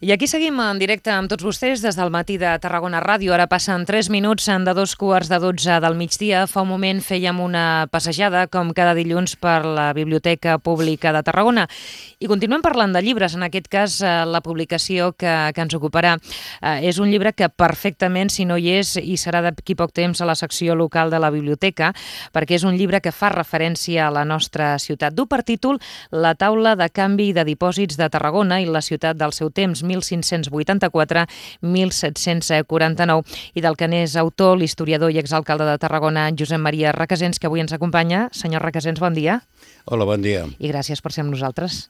I aquí seguim en directe amb tots vostès des del matí de Tarragona Ràdio. Ara passen 3 minuts de 2:15 del migdia. Fa un moment fèiem una passejada, com cada dilluns, per la Biblioteca Pública de Tarragona. I continuem parlant de llibres, en aquest cas la publicació que ens ocuparà. És un llibre que perfectament, si no hi és, i serà d'aquí poc temps a la secció local de la biblioteca, perquè és un llibre que fa referència a la nostra ciutat. Du per títol La taula de canvi de dipòsits de Tarragona i la ciutat del seu temps, 1584-1749, i del que n'és autor l'historiador i exalcalde de Tarragona, Josep Maria Recasens, que avui ens acompanya. Senyor Recasens, bon dia. Hola, bon dia. I gràcies per ser amb nosaltres.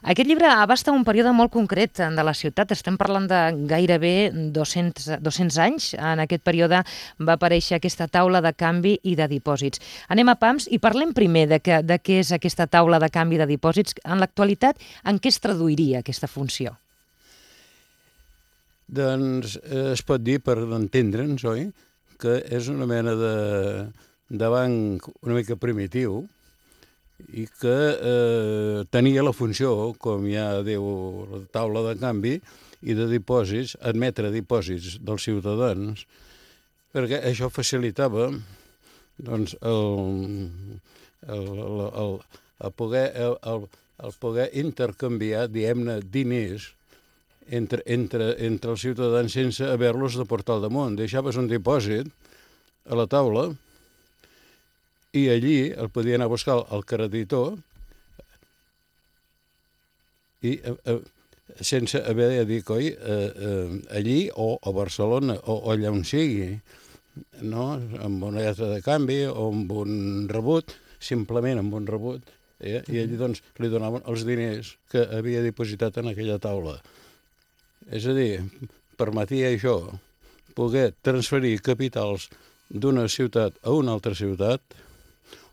Aquest llibre abasta un període molt concret de la ciutat. Estem parlant de gairebé 200 anys. En aquest període va aparèixer aquesta taula de canvi i de dipòsits. Anem a pams i parlem primer de què és aquesta taula de canvi de dipòsits. En l'actualitat, en què es traduiria aquesta funció? Doncs es pot dir, per entendre'ns, oi?, que és una mena de banc una mica primitiu i que tenia la funció, com ja diu la taula de canvi i de dipòsits, admetre dipòsits dels ciutadans, perquè això facilitava doncs, el poder intercanviar, diguem-ne, diners entre els ciutadans sense haver-los de portar al damunt. Deixaves un dipòsit a la taula i allí el podia anar a buscar el creditor i sense haver de dir, coi, allí o a Barcelona o allà on sigui, no? Amb una lletra de canvi o amb un rebut, simplement amb un rebut, i allí doncs li donaven els diners que havia dipositat en aquella taula. És a dir, permetia això poder transferir capitals d'una ciutat a una altra ciutat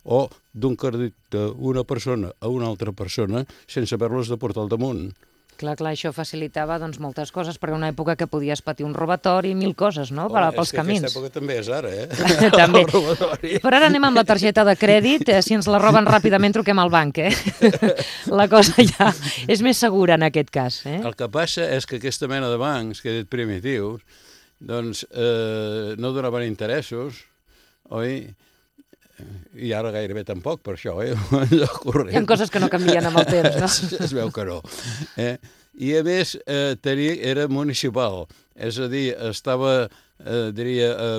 o d'un crèdit d'una persona a una altra persona sense haver-los de portar al damunt. Clar, això facilitava doncs, moltes coses, perquè una època que podies patir un robatori i mil coses, no?, pels camins. Aquesta època també és ara, També. Però ara anem amb la targeta de crèdit. Si ens la roben ràpidament, truquem al banc, La cosa ja és més segura en aquest cas, El que passa és que aquesta mena de bancs, que he dit primitius, doncs no donaven interessos, oi? I ara gairebé tampoc, per això, Hi ha coses que no canvien amb el temps, no? Es veu que no. I a més, era municipal, és a dir, estava, diria,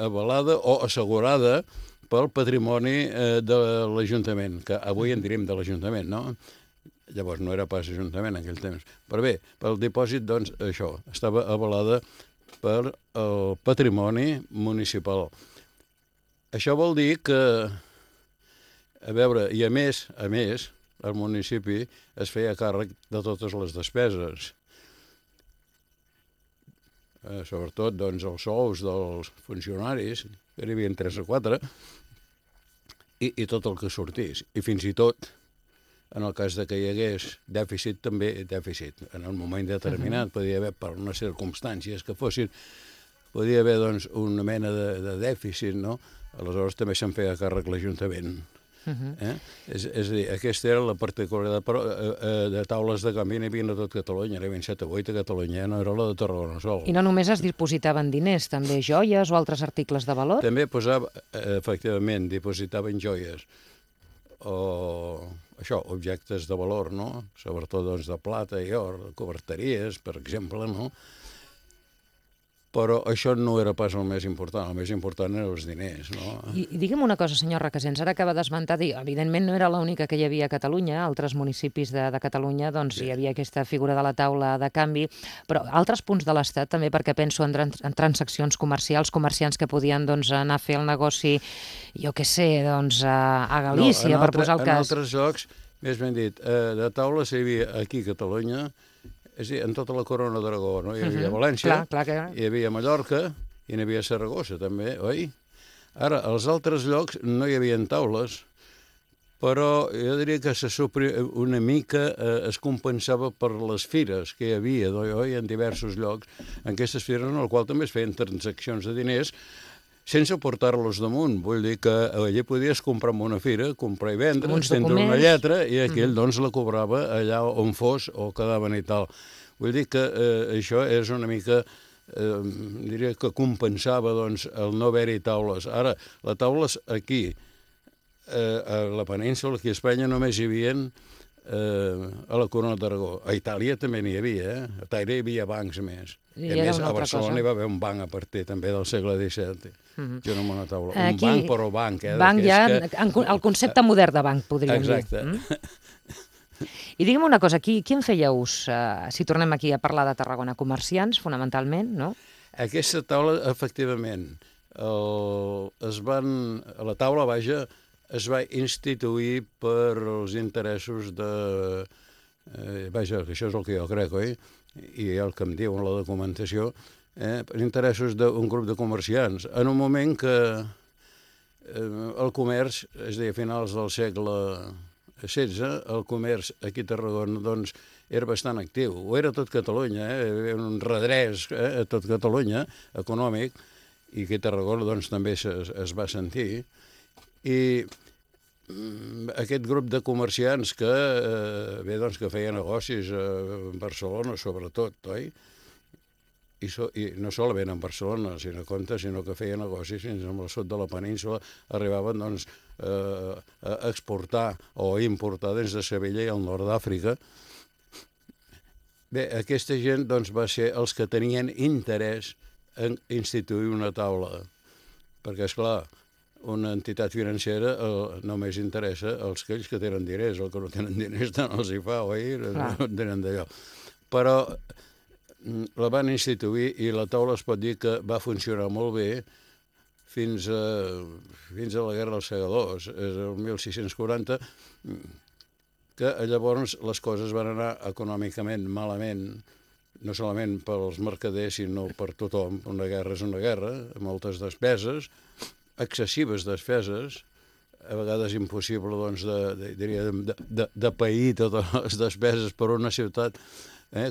avalada o assegurada pel patrimoni de l'Ajuntament, que avui en diríem de l'Ajuntament, no? Llavors no era pas Ajuntament en aquell temps. Però bé, pel dipòsit, doncs, això, estava avalada per el patrimoni municipal. Això vol dir que, a veure, i a més, el municipi es feia càrrec de totes les despeses. Sobretot, doncs, els sous dels funcionaris, que n'hi havia 3 o 4, i tot el que sortís. I fins i tot, en el cas de que hi hagués dèficit, també dèficit. En un moment determinat podia haver, per unes circumstàncies que fossin, podia haver, doncs, una mena de dèficit, no? Aleshores també se'n feia càrrec l'Ajuntament. És a dir, aquesta era la particularitat, però de taules de canvi n'hi havia a tot Catalunya, n'hi havia 7 o 8 a Catalunya, no era la de Tarragona sol. I no només es dipositaven diners, també joies o altres articles de valor? També posava, efectivament, dipositaven joies o això, objectes de valor, no? Sobretot doncs, de plata i or, coberteries, per exemple, no? Però això no era pas el més important eren els diners, no? I digue'm una cosa, senyor Recasens, ara acaba d'esmentar, evidentment no era l'única que hi havia a Catalunya, altres municipis de Catalunya, doncs hi havia aquesta figura de la taula de canvi, però altres punts de l'Estat també, perquè penso en transaccions comercials, comerciants que podien doncs, anar a fer el negoci, jo què sé, doncs a Galícia, per posar el cas. En altres llocs, més ben dit, de taules hi havia aquí a Catalunya, és a dir, en tota la corona d'Aragó, no? Hi havia València, hi havia Mallorca, i n'hi havia Saragossa, també, oi? Ara, als altres llocs no hi havia taules, però jo diria que una mica es compensava per les fires que hi havia, oi? En diversos llocs, en aquestes fires en les quals també es feien transaccions de diners sense portar-los damunt. Vull dir que allà podies comprar en una fira, comprar i vendre, Uns estendre una documents. lletra, i aquell doncs la cobrava allà on fos o quedaven i tal. Vull dir que això és una mica, diria que compensava doncs, el no haver-hi taules. Ara, les taules aquí, a la península, aquí a Espanya, només hi havia a la Corona d'Aragó. A Itàlia també n'hi havia, A Itàlia hi havia bancs més. I a era més, una a altra Barcelona cosa. hi va haver un banc a partir també del segle XVII. Jo no una taula. Un Aquí, banc, però banc. Banc ja, Que... el concepte modern de banc, podríem Exacte. dir. I digue'm una cosa, qui en feia ús, si tornem aquí a parlar de Tarragona? Comerciants, fonamentalment, no? Aquesta taula, efectivament, la taula, vaja, es va instituir per els interessos de... vaja, que això és el que jo crec, oi? I el que em diu en la documentació, per interessos d'un grup de comerciants. En un moment que el comerç, és a dir, a finals del segle XVI, el comerç aquí a Tarragona doncs, era bastant actiu. Ho era tot Catalunya, hi havia un redrés a tot Catalunya, econòmic, i aquí a Tarragona doncs, també es va sentir. I aquest grup de comerciants que, doncs, que feia negocis a Barcelona, sobretot, oi? I no solament en Barcelona, sinó que feia negocis fins al sud de la península, arribaven doncs, a exportar o a importar des de Sevilla i al nord d'Àfrica. Bé, aquesta gent doncs, va ser els que tenien interès en instituir una taula, perquè, esclar, una entitat financera només interessa als que tenen diners, els que no tenen diners tant els hi fa, oi? No tenen d'allò. Però la van instituir i la taula es pot dir que va funcionar molt bé fins a la Guerra dels Segadors, és el 1640, que llavors les coses van anar econòmicament malament, no solament pels mercaders, sinó per tothom. Una guerra és una guerra, moltes despeses, excessives despeses, a vegades impossible doncs, de pair totes les despeses per una ciutat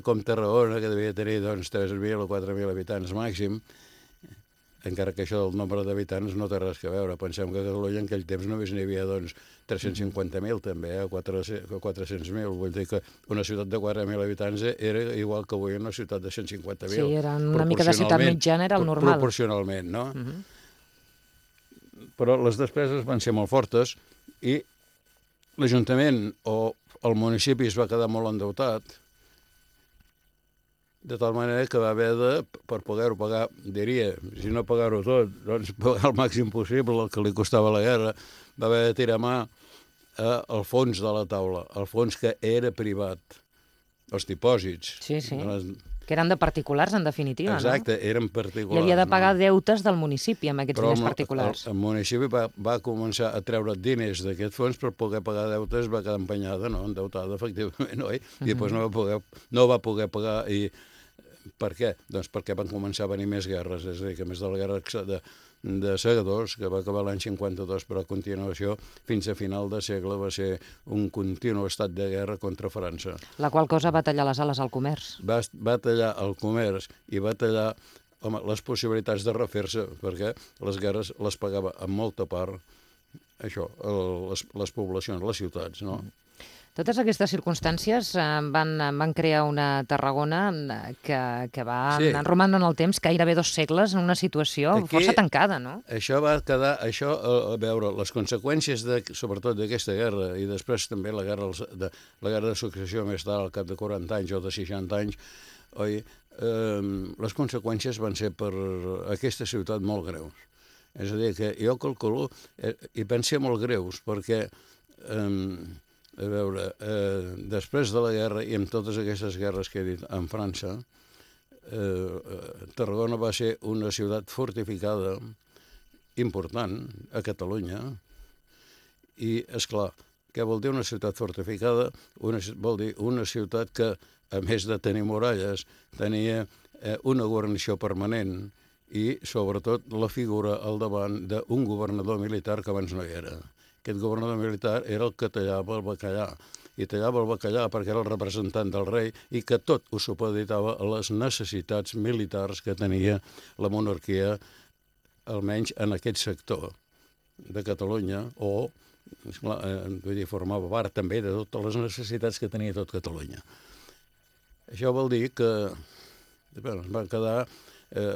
com Tarragona, que devia tenir doncs, 3.000 o 4.000 habitants màxim, encara que això del nombre d'habitants no té res a veure. Pensem que a Catalunya en aquell temps només n'hi havia doncs, 350.000 també, 400.000. Vull dir que una ciutat de 4.000 habitants era igual que avui una ciutat de 150.000. Sí, era una mica de ciutat mitjana, era el normal. Proporcionalment, no? Però les despeses van ser molt fortes i l'Ajuntament o el municipi es va quedar molt endeutat, de tal manera que va haver de, per poder-ho pagar, diria, si no pagar-ho tot, doncs pagar el màxim possible el que li costava la guerra, va haver de tirar mà al fons de la taula, el fons que era privat, els dipòsits. Sí, sí. Que eren de particulars, en definitiva, exacte, no? eren particulars. I havia de pagar deutes del municipi amb aquests diners particulars. Però el municipi va començar a treure diners d'aquest fons per poder pagar deutes, va quedar empenyada, no? Endeutada, efectivament, oi? I després no va poder pagar. I per què? Doncs perquè van començar a venir més guerres, és a dir, que més de la guerra de Segadors, que va acabar l'any 52, però a continuació, fins a final de segle, va ser un continu estat de guerra contra França. La qual cosa va tallar les ales al comerç. Va tallar el comerç i va tallar les possibilitats de refer-se, perquè les guerres les pagava en molta part això, les poblacions, les ciutats, no? Totes aquestes circumstàncies van crear una Tarragona que va romandre en el temps gairebé 2 segles en una situació força tancada, no? Això va quedar, a veure, les conseqüències sobretot d'aquesta guerra i després també la guerra de successió més tard, al cap de 40 anys o de 60 anys, oi, les conseqüències van ser per aquesta ciutat molt greus. És a dir, que jo calculo, i van ser molt greus, perquè a veure, després de la guerra i amb totes aquestes guerres que he dit en França, Tarragona va ser una ciutat fortificada important a Catalunya i, esclar, què vol dir una ciutat fortificada? Vol dir una ciutat que, a més de tenir muralles, tenia una guarnició permanent i, sobretot, la figura al davant d'un governador militar que abans no hi era. Aquest governador militar era el que tallava el bacallà, i tallava el bacallà perquè era el representant del rei i que tot ho supeditava a les necessitats militars que tenia la monarquia almenys en aquest sector de Catalunya, o esclar, vull dir, formava part també de totes les necessitats que tenia tot Catalunya. Això vol dir que es va quedar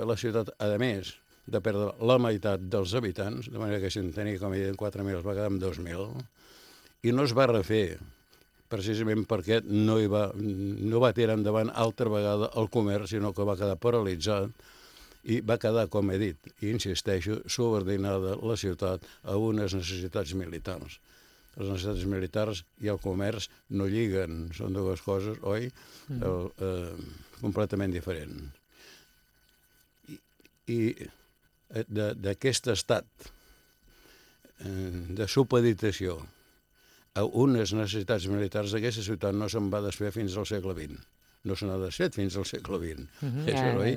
la ciutat, a més de perdre la meitat dels habitants, de manera que si en tenia, com he dit, 4.000, es va quedar amb 2.000, i no es va refer, precisament perquè no va tirar endavant altra vegada el comerç, sinó que va quedar paralitzat, i va quedar, com he dit, i insisteixo, subordinada la ciutat a unes necessitats militars. Les necessitats militars i el comerç no lliguen, són dues coses, oi? Completament diferents. I d'aquest estat de supeditació a unes necessitats militars, aquesta ciutat no se'n va desfer fins al segle XX. No se n'ha desfet fins al segle XX.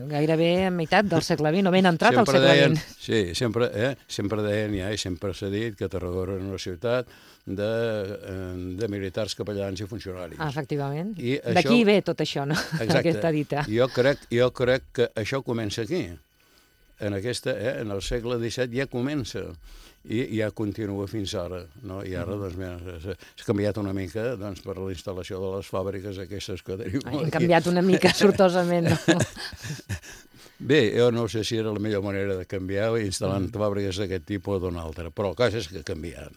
Gairebé a meitat del segle XX, o ben entrat al segle XX. Sí, sempre deien i sempre s'ha dit que Tarragona era una ciutat de militars, capellans i funcionaris. Efectivament. D'aquí ve tot això, no? Exacte. Aquesta dita. Jo crec que això comença aquí. En el segle XVII ja comença i ja continua fins ara, no? I ara s'ha canviat una mica per la instal·lació de les fàbriques aquestes que tenim. Han canviat una mica sortosament, no? Bé, jo no sé si era la millor manera de canviar instal·lant fàbriques d'aquest tipus o d'una altra, però el cas és que ha canviat,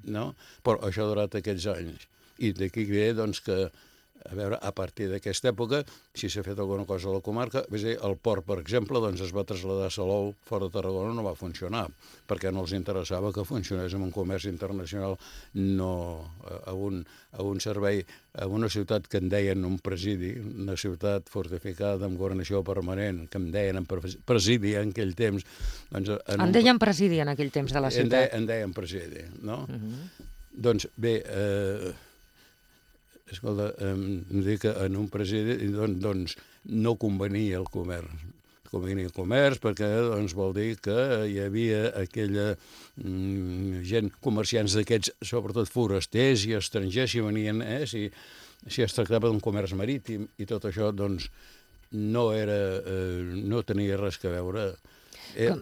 no? Però això ha durat aquests anys. I d'aquí ve, doncs, que a veure, a partir d'aquesta època, si s'ha fet alguna cosa a la comarca, el port, per exemple, doncs es va traslladar a Salou, fora de Tarragona, no va funcionar, perquè no els interessava que funcionés en un comerç internacional, no a un servei, a una ciutat que en deien un presidi, una ciutat fortificada amb governació permanent, que en deien presidi en aquell temps. En deien presidi en aquell temps de la ciutat? En deien presidi, no? Doncs bé, escolta, em dic que en un presidi doncs, no convenia el comerç. Convenia el comerç perquè vol dir que hi havia aquella gent, comerciants d'aquests, sobretot forasters i estrangers, si venien, si es tractava d'un comerç marítim i tot això, doncs no tenia res a veure.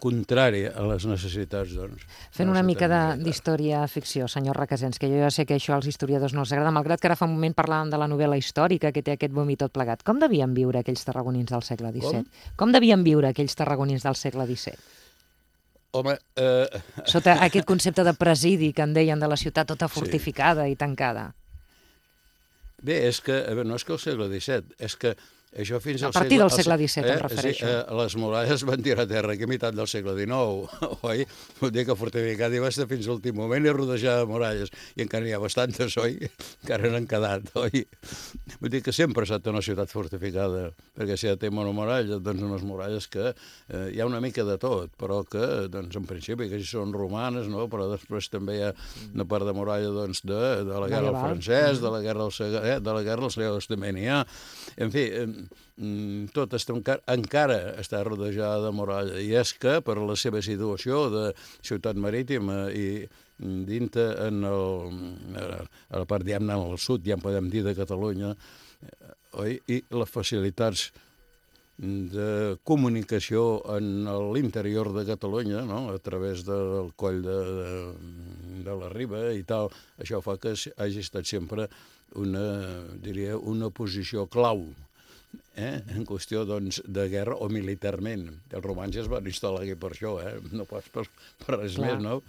Contrari a les necessitats, doncs. Fent una mica d'història-ficció, senyor Requesens, que jo ja sé que això als historiadors no els agrada, malgrat que ara fa un moment parlàvem de la novel·la històrica que té aquest boom i tot plegat. Com devien viure aquells tarragonins del segle XVII? Com devien viure aquells tarragonins del segle XVII? Home... Sota aquest concepte de presidi que en deien de la ciutat tota fortificada i tancada. Bé, és que no és que el segle XVII, és que això fins al a partir del segle XVII em refereixo. Les muralles van tirar a terra aquí a meitat del segle XIX, oi? Vull dir que fortificat hi va estar fins a l'últim moment i rodejar de muralles, i encara n'hi ha bastantes, oi? Encara n'han quedat, oi? Vull dir que sempre ha estat una ciutat fortificada, perquè si ja té una muralla, doncs unes muralles que hi ha una mica de tot, però que, doncs, en principi, que si són romanes, no? Però després també hi ha una part de muralla, doncs, de la guerra del francès, de la guerra del segle també n'hi ha. En fi, tot encara està rodejada de muralla, i és que per la seva situació de ciutat marítima i dintre a la part, diguem-ne, al sud, ja en podem dir, de Catalunya, i les facilitats de comunicació en l'interior de Catalunya, no? A través del coll de la Riba i tal, això fa que hagi estat sempre una posició clau en qüestió, doncs, de guerra o militarment. Els romans ja es van instal·lar aquí per això, no pas per res més, no?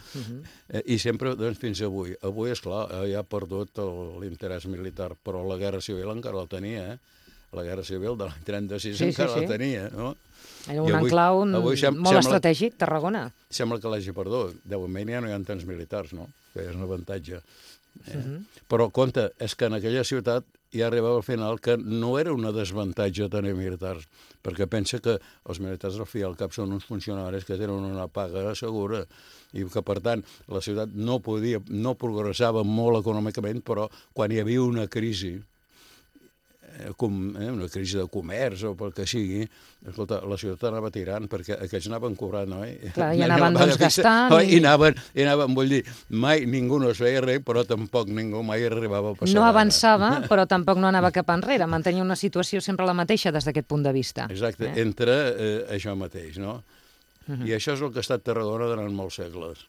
I sempre, doncs, fins avui. Avui, esclar, ja ha perdut l'interès militar, però la guerra civil encara la tenia, La guerra civil de l'any 36 encara la tenia, no? Era un enclau molt estratègic, Tarragona. Sembla que l'hagi perdut. De moment ja no hi ha tants militars, no? Que és un avantatge. Però, compte, és que en aquella ciutat ja arribava al final que no era una desavantatge tenir militars, perquè pensa que els militars al fi al cap són uns funcionaris que tenen una paga segura i que, per tant, la ciutat no progressava molt econòmicament, però quan hi havia una crisi de comerç o pel que sigui, escolta, la ciutat anava tirant perquè aquests anaven cobrant, oi? Clar, i anaven gastant. I anaven, vull dir, mai ningú no es feia res, però tampoc ningú mai arribava a passar. No avançava, però tampoc no anava cap enrere, mantenia una situació sempre la mateixa des d'aquest punt de vista. Exacte, entre això mateix, no? I això és el que ha estat Tarragona durant molts segles.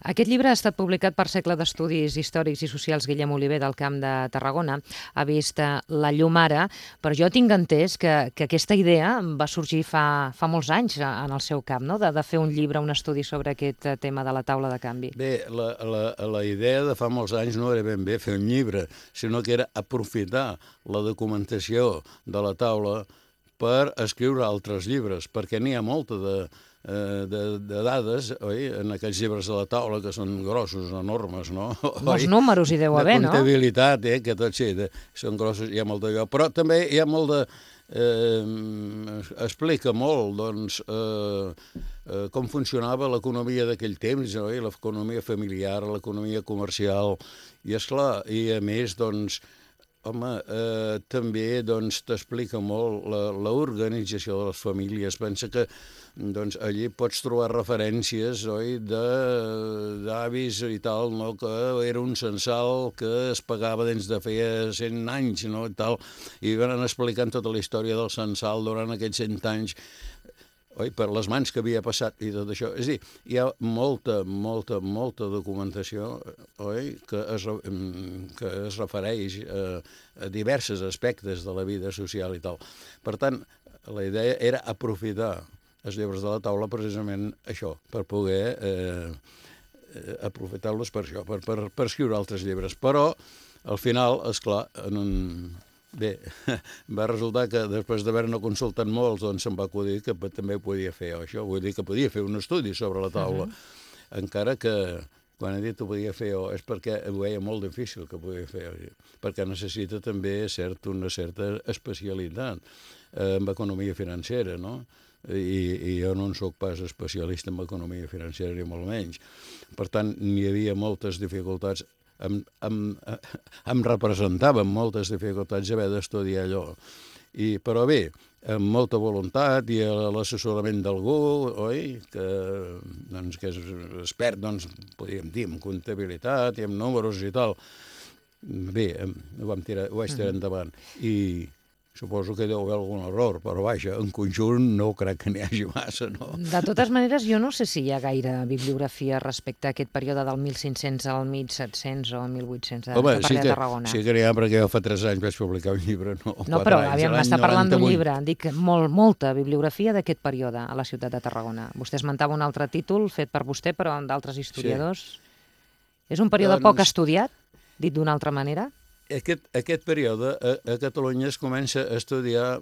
Aquest llibre ha estat publicat per Cercle d'Estudis Històrics i Socials Guillem Oliver del Camp de Tarragona. Ha vist la llum ara, però jo tinc entès que aquesta idea va sorgir fa molts anys en el seu camp, no? De fer un llibre, un estudi sobre aquest tema de la taula de canvi. Bé, la idea de fa molts anys no era ben bé fer un llibre, sinó que era aprofitar la documentació de la taula per escriure altres llibres, perquè n'hi ha molta de dades, oi? En aquells llibres de la taula que són grossos, enormes, no? Molts números hi deu haver, no? De comptabilitat, que tot sí, són grossos, hi ha molt d'allò. Però també hi ha molt de... explica molt, doncs, com funcionava l'economia d'aquell temps, oi? L'economia familiar, l'economia comercial, i esclar, i a més, doncs, home, també doncs, t'explica molt l'organització de les famílies. Pensa que doncs, allí pots trobar referències, oi, d'avis i tal, no? Que era un censal que es pagava des de feia 100 anys, no? I tal, i van explicant tota la història del censal durant aquests 100 anys, oi, per les mans que havia passat i tot això. És a dir, hi ha molta documentació, oi, que es refereix a diversos aspectes de la vida social i tal. Per tant, la idea era aprofitar els llibres de la taula precisament això, per poder aprofitar-los per això, per escriure altres llibres. Però, al final, esclar, bé, va resultar que després d'haver-ne consultat molts, doncs se'm va acudir que també podia fer això, vull dir que podia fer un estudi sobre la taula, encara que quan he dit ho podia fer és perquè ho veia molt difícil que podia fer, perquè necessita també una certa especialitat en economia financera, no? I jo no en soc pas especialista en economia financera ni molt menys. Per tant, n'hi havia moltes dificultats. Em representava amb moltes dificultats haver d'estudiar allò. Però bé, amb molta voluntat i l'assessorament d'algú, oi? Que és expert, doncs, podríem dir, en comptabilitat i en números i tal. Bé, ho vaig tirar endavant. I suposo que deu haver algun error, però vaja, en conjunt no crec que n'hi hagi massa, no? De totes maneres, jo no sé si hi ha gaire bibliografia respecte a aquest període del 1500 al 1700 o 1800 de Tarragona. Sí que n'hi ha, perquè jo fa 3 anys vaig publicar un llibre, no, però aviam, m'està parlant d'un llibre. Dic, molta bibliografia d'aquest període a la ciutat de Tarragona. Vostè esmentava un altre títol fet per vostè, però d'altres historiadors. Sí. És un període poc estudiat, dit d'una altra manera? Aquest període a Catalunya es comença a estudiar,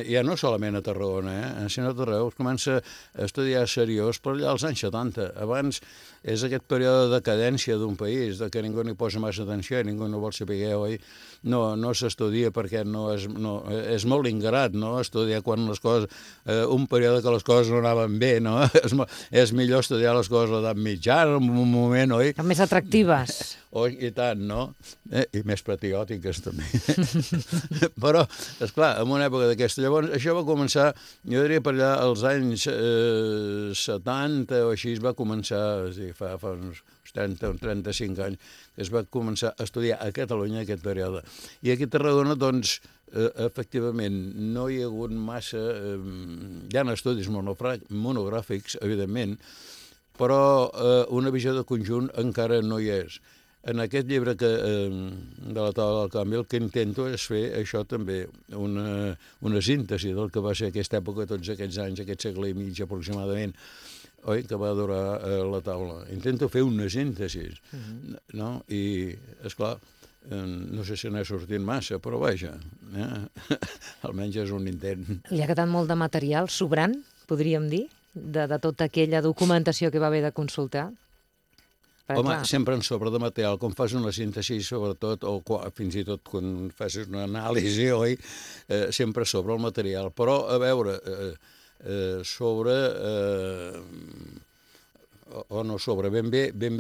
ja no solament a Tarragona, sinó a tot arreu, es comença a estudiar seriós per allà als anys 70. Abans és aquest període de decadència d'un país, de que ningú n'hi posa massa atenció i ningú no vol saber, oi? No s'estudia perquè és molt ingrat, no?, estudiar quan les coses, un període que les coses no anaven bé, no? És millor estudiar les coses a l'edat mitjana, en un moment, oi? Més atractives. I tant, no? I més patriòtiques, també. Però, esclar, en una època d'aquesta, llavors, això va començar, jo diria per allà, als anys 70 o així, es va començar, fa uns 30 o 35 anys, que es va començar a estudiar a Catalunya aquest període. I aquí a Tarragona, doncs, efectivament, no hi ha hagut massa... Hi ha estudis monogràfics, evidentment, però una visió de conjunt encara no hi és. En aquest llibre de la taula del canvi el que intento és fer això també, una síntesi del que va ser aquesta època, tots aquests anys, aquest segle i mig aproximadament, oi, que va durar la taula. Intento fer una síntesi, no? I, esclar, no sé si n'ha sortit massa, però vaja, almenys és un intent. Li ha quedat molt de material sobrant, podríem dir, de tota aquella documentació que va haver de consultar? Home, sempre en sobre de material, quan fas una síntesi, sobretot, o fins i tot quan fas una anàlisi, oi, sempre sobre el material. Però, a veure, sobre, o no sobre, ben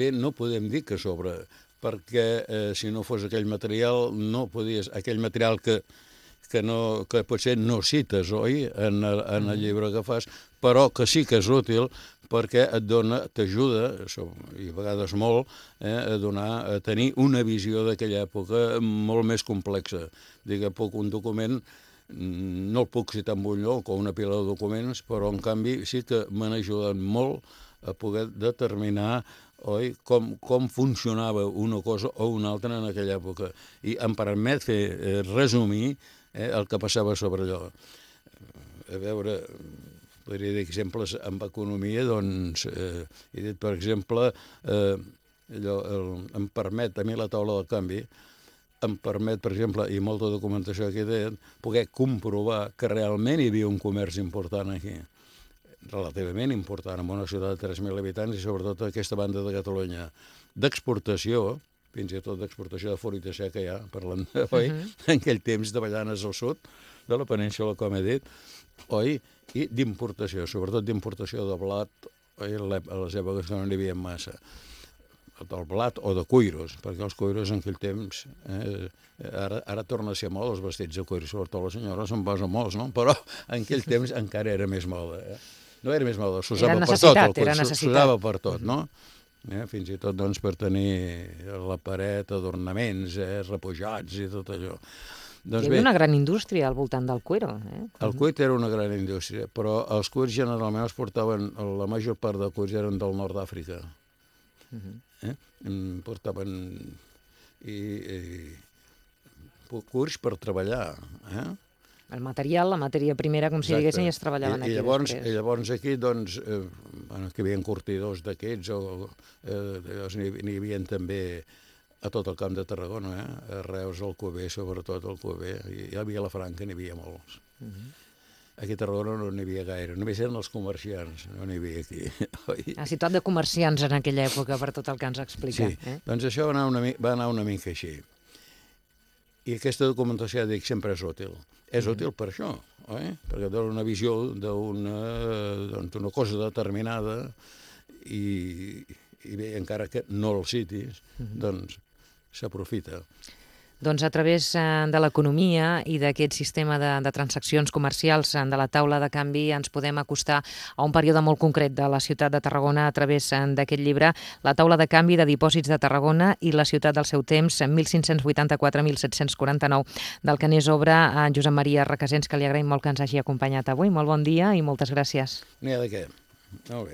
bé no podem dir que sobre, perquè si no fos aquell material, no podies, aquell material que potser no cites, oi, en el llibre que fas, però que sí que és útil perquè t'ajuda, i a vegades molt, a tenir una visió d'aquella època molt més complexa. Digue, un document no el puc citar en un lloc o una pila de documents, però en canvi sí que m'han ajudat molt a poder determinar com funcionava una cosa o una altra en aquella època. I em permet resumir el que passava sobre allò. A veure, podria dir exemples amb economia, doncs, he dit, per exemple, em permet, a mi la taula del canvi, em permet, per exemple, i molta documentació aquí deien, poder comprovar que realment hi havia un comerç important aquí, relativament important, en una ciutat de 3.000 habitants i sobretot aquesta banda de Catalunya, d'exportació, fins i tot d'exportació de fruita seca ja, parlant en aquell temps de Ballanes al sud, de la península, com he dit, i d'importació, sobretot d'importació de blat, a les èpoques que no n'hi havia massa, del blat o de cuiros, perquè els cuiros en aquell temps, ara torna a ser moda els vestits de cuiro, sobretot la senyora se'n posa molts, no? Però en aquell temps encara era més moda. No era més moda, s'usava per tot el cuiro, s'usava per tot, no? Fins i tot doncs, per tenir la paret, adornaments, repujats i tot allò. Hi havia una gran indústria al voltant del cuiro. El cuir era una gran indústria, però els cuirs generalment els portaven, la major part de cuirs eren del nord d'Àfrica. Portaven cuirs per treballar. El material, la matèria primera, com si diguéssim, i es treballaven aquí després. I llavors aquí, doncs, que hi havia curtidors d'aquests, n'hi havia també a tot el camp de Tarragona, a Reus, al Cuber, sobretot al Cuber, i a Vilafranca n'hi havia molts. Aquí a Tarragona no n'hi havia gaire, només eren els comerciants, no n'hi havia aquí. La ciutat de comerciants en aquella època, per tot el que ens explica. Sí, doncs això va anar una mica així. I aquesta documentació, dic, sempre és útil. És útil per això, perquè dona una visió d'una cosa determinada i bé, encara que no el citis, doncs s'aprofita. Doncs a través de l'economia i d'aquest sistema de transaccions comercials de la taula de canvi ens podem acostar a un període molt concret de la ciutat de Tarragona a través d'aquest llibre, La taula de canvi de dipòsits de Tarragona i la ciutat del seu temps, 1584-1749, del que n'és obra Josep Maria Recasens, que li agraïm molt que ens hagi acompanyat avui. Molt bon dia i moltes gràcies. N'hi ha de què. Molt bé.